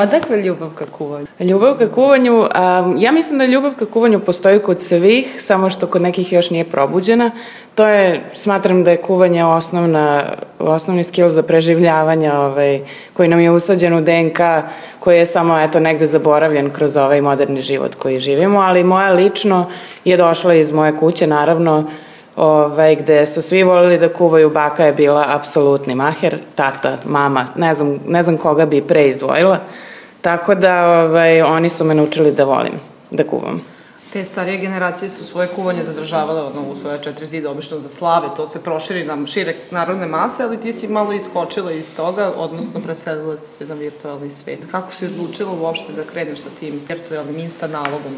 Odakle ljubav ka kuvanju? Ljubav ka kuvanju, ja mislim da ljubav ka kuvanju postoji kod svih, samo što kod nekih još nije probuđena. Smatram da je kuvanje osnovni skill za preživljavanje koji nam je usađen u DNK, koji je samo negde zaboravljen kroz ovaj moderni život koji živimo, ali moja lično je došla iz moje kuće, naravno, gde su svi volili da kuvaju. Baka je bila apsolutni maher, tata, mama, ne znam koga bi pre izdvojila, tako da oni su me naučili da volim da kuvam. Te starije generacije su svoje kuvanje zadržavale u svoje 4 zida, obično za slave, to se proširi na šire narodne mase, ali ti si malo iskočila iz toga, odnosno preselila se na virtualni svet. Kako si odlučila uopšte da kreneš sa tim virtualnim insta nalogom?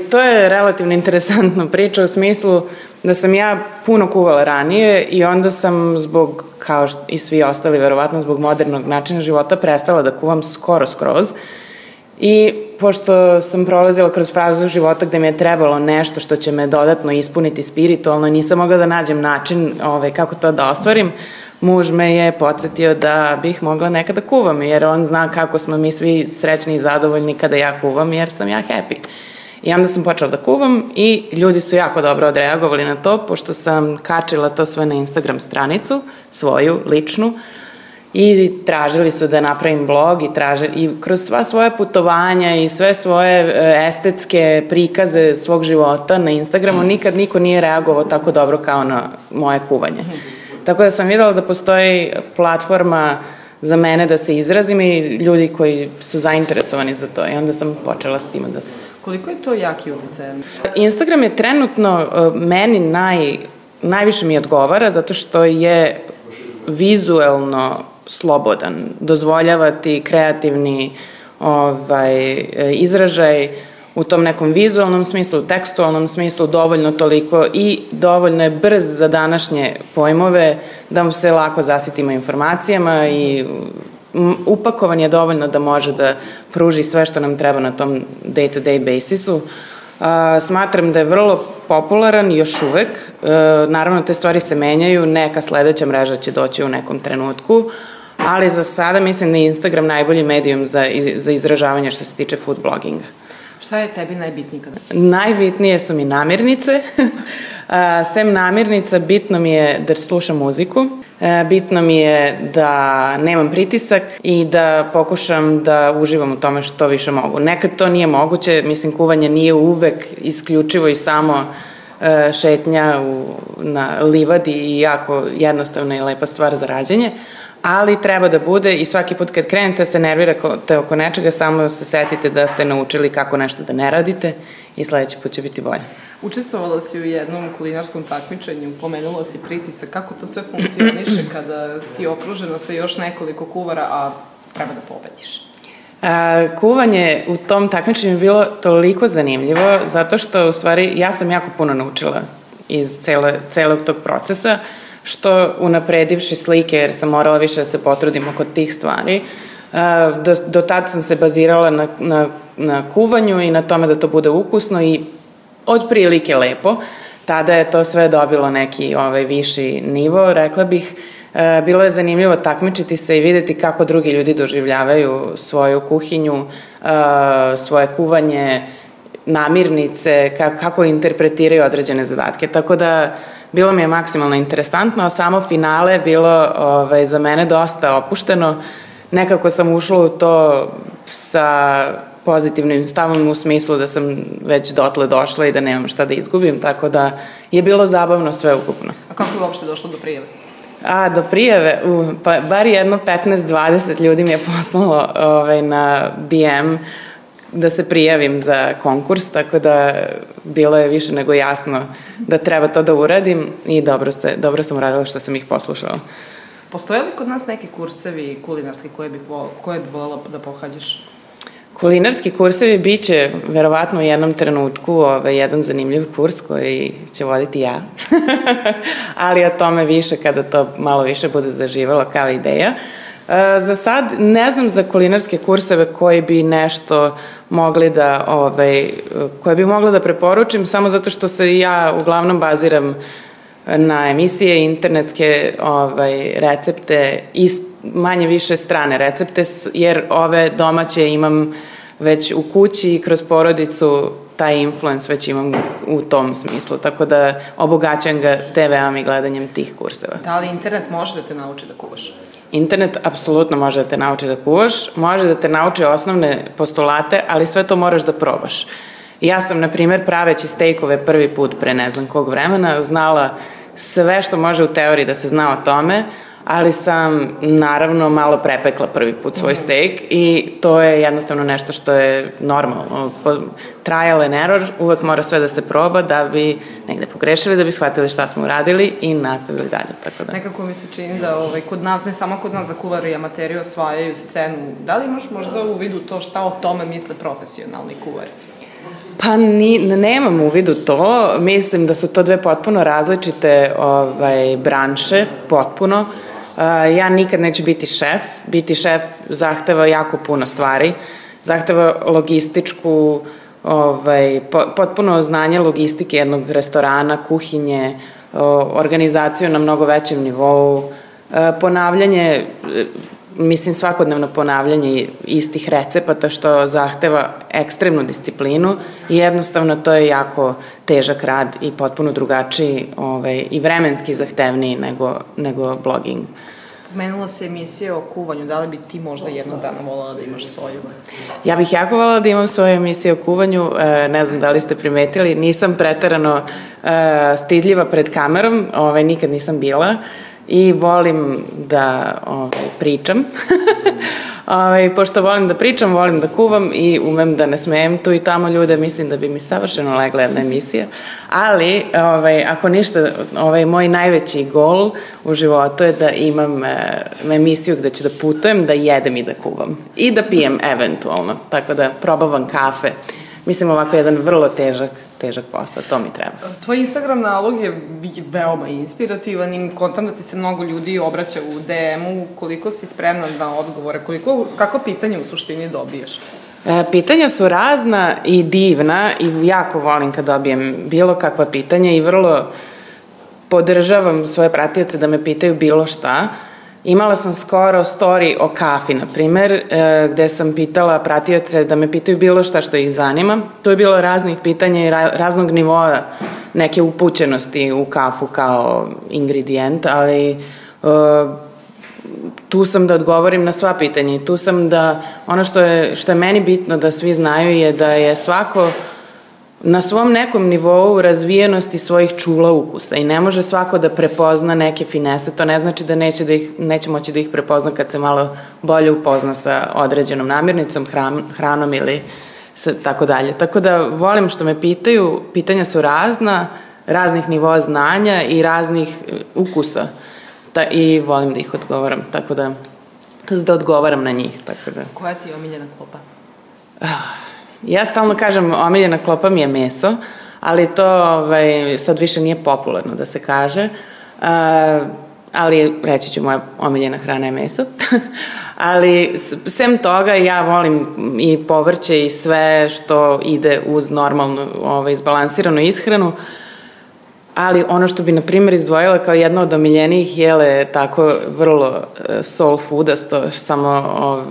To je relativno interesantna priča u smislu da sam ja puno kuvala ranije i onda sam zbog, kao i svi ostali verovatno, zbog modernog načina života prestala da kuvam skroz. I pošto sam prolazila kroz fazu života gde mi je trebalo nešto što će me dodatno ispuniti spiritualno, nisam mogla da nađem način kako to da ostvarim, muž me je podsjetio da bih mogla nekada kuvam, jer on zna kako smo mi svi srećni i zadovoljni kada ja kuvam, jer sam ja happy. I onda sam počela da kuvam i ljudi su jako dobro odreagovali na to, pošto sam kačila to sve na Instagram stranicu, svoju, ličnu, i tražili su da napravim blog i kroz sva svoja putovanja i sve svoje estetske prikaze svog života na Instagramu nikad niko nije reagovao tako dobro kao na moje kuvanje. Tako da sam videla da postoji platforma za mene da se izrazim i ljudi koji su zainteresovani za to i onda sam počela s time da se... Koliko je to jaki uticaj? Instagram je trenutno meni najviše mi odgovara zato što je vizuelno slobodan, dozvoljava ti kreativni izražaj u tom nekom vizualnom smislu, tekstualnom smislu, dovoljno toliko i dovoljno je brz za današnje pojmove da mu se lako zasitimo informacijama i upakovan je dovoljno da može da pruži sve što nam treba na tom day-to-day basisu. Smatram da je vrlo popularan još uvek. Naravno, te stvari se menjaju, neka sledeća mreža će doći u nekom trenutku, ali za sada mislim da je Instagram najbolji medijum za izražavanje što se tiče food bloginga. Šta je tebi najbitnije? Najbitnije su mi namirnice. Sem namirnica, bitno mi je da slušam muziku, bitno mi je da nemam pritisak i da pokušam da uživam u tome što više mogu. Nekad to nije moguće, mislim, kuvanje nije uvek isključivo i samo šetnja na livadi i jako jednostavna i lepa stvar za rađenje, ali treba da bude i svaki put kad krenete se nervirate oko nečega, samo se setite da ste naučili kako nešto da ne radite i sledeći put će biti bolje. Učestvovala si u jednom kulinarskom takmičenju, pomenula si pritisak, kako to sve funkcioniše kada si okružena sa još nekoliko kuvara, a treba da pobediš? Kuvanje u tom takmičenju je bilo toliko zanimljivo, zato što u stvari ja sam jako puno naučila iz celog tog procesa, što unapredivši slike, jer sam morala više da se potrudim oko tih stvari. Do tad sam se bazirala na kuvanju i na tome da to bude ukusno i otprilike lepo. Tada je to sve dobilo neki viši nivo, rekla bih. Bilo je zanimljivo takmičiti se i videti kako drugi ljudi doživljavaju svoju kuhinju, svoje kuvanje, namirnice, kako interpretiraju određene zadatke. Tako da bilo mi je maksimalno interesantno, a samo finale je bilo za mene dosta opušteno. Nekako sam ušla u to sa pozitivnim stavom u smislu da sam već dotle došla i da nemam šta da izgubim, tako da je bilo zabavno sve ukupno. A kako je uopšte došlo do prijave? Do prijave, pa bar jedno 15-20 ljudi mi je poslalo na DM da se prijavim za konkurs, tako da bilo je više nego jasno da treba to da uradim i dobro sam uradila što sam ih poslušala. Postoje li kod nas neki kursevi kulinarski koje bi voljela da pohađaš? Kulinarski kursevi bit će verovatno u jednom trenutku jedan zanimljiv kurs koji će voditi ja, ali o tome više kada to malo više bude zaživalo kao ideja. Za sad ne znam za kulinarske kurseve koji bi nešto mogli da, koje bi mogla da preporučim, samo zato što se ja uglavnom baziram na emisije, internetske recepte manje više strane recepte, jer ove domaće imam već u kući i kroz porodicu taj influence već imam u tom smislu, tako da obogaćujem ga TV-om i gledanjem tih kurseva. Da li internet može da te nauči da kuvaš? Internet apsolutno može da te nauči da kuvaš, može da te nauči osnovne postulate, ali sve to moraš da probaš. Ja sam, na primjer, praveći stejkove prvi put pre ne znam kog vremena, znala sve što može u teoriji da se zna o tome, ali sam naravno malo prepekla prvi put svoj stejk i to je jednostavno nešto što je normalno. Trial and error, uvek mora sve da se proba da bi negde pogrešili, da bi shvatili šta smo uradili i nastavili dalje. Tako da. Nekako mi se čini da kod nas, ne samo kod nas, da kuvari i amateri osvajaju scenu. Da li imaš možda u vidu to šta o tome misle profesionalni kuvari? Pa nemam u vidu to, mislim da su to dve potpuno različite branše, potpuno. Ja nikad neću biti šef zahteva jako puno stvari, zahteva logističku, potpuno znanje logistike jednog restorana, kuhinje, organizaciju na mnogo većem nivou, ponavljanje, mislim svakodnevno ponavljanje istih recepata što zahteva ekstremnu disciplinu i jednostavno to je jako težak rad i potpuno drugačiji i vremenski zahtevniji nego blogging. Pomenula se emisija o kuvanju, da li bi ti možda jednog dana volala da imaš svoju? Ja bih jako volala da imam svoju emisiju o kuvanju, ne znam da li ste primetili, nisam preterano stidljiva pred kamerom, nikad nisam bila. I volim da pričam. Pošto volim da pričam, volim da kuvam i umem da ne smejem tu i tamo ljude, mislim da bi mi savršeno legla jedna emisija. Ali, ako ništa, moj najveći gol u životu je da imam emisiju gde ću da putujem, da jedem i da kuvam. I da pijem eventualno. Tako da probavam kafe. Mislim ovako jedan vrlo težak posao, to mi treba. Tvoj Instagram nalog je veoma inspirativan i kontam da ti se mnogo ljudi obraća u DM-u, koliko si spremna na odgovore, kako pitanje u suštini dobiješ? Pitanja su razna i divna i jako volim kad dobijem bilo kakva pitanja i vrlo podržavam svoje pratioce da me pitaju bilo šta. Imala sam skoro story o kafi, na primer, gde sam pitala pratioce da me pitaju bilo šta što ih zanima. Tu je bilo raznih pitanja i raznog nivoa neke upućenosti u kafu kao ingredijent, ali tu sam da odgovorim na sva pitanja i tu sam da, ono što je meni bitno da svi znaju je da je svako na svom nekom nivou razvijenosti svojih čula ukusa i ne može svako da prepozna neke finese, to ne znači da neće moći da ih prepozna kad se malo bolje upozna sa određenom namirnicom, hranom ili tako dalje. Tako da volim što me pitaju, pitanja su raznih nivoa znanja i raznih ukusa i volim da ih odgovaram, tako da odgovaram na njih. Tako da. Koja ti je omiljena klopa? Ja stalno kažem, omiljena klopa mi je meso, ali to sad više nije popularno da se kaže, ali reći ću moja omiljena hrana je meso. Ali sem toga ja volim i povrće i sve što ide uz normalnu izbalansiranu ishranu, ali ono što bi na primjer izdvojila kao jedno od omiljenijih jele tako vrlo soul foodasto samo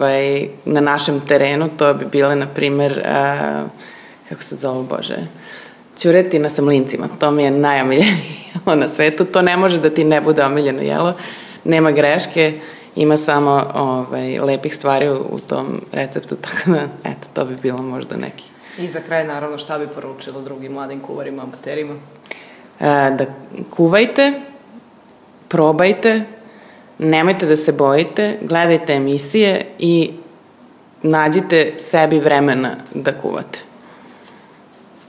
na našem terenu, to bi bile na primjer kako se zove, bože, ćuretina sa mlincima, to mi je najomiljenije jelo na svetu, to ne može da ti ne bude omiljeno jelo, nema greške, ima samo lepih stvari u tom receptu, tako da eto, to bi bilo možda neki. I za kraj naravno šta bi poručila drugim mladim kuvarima, amaterima? Da kuvajte, probajte, nemojte da se bojite, gledajte emisije i nađite sebi vremena da kuvate.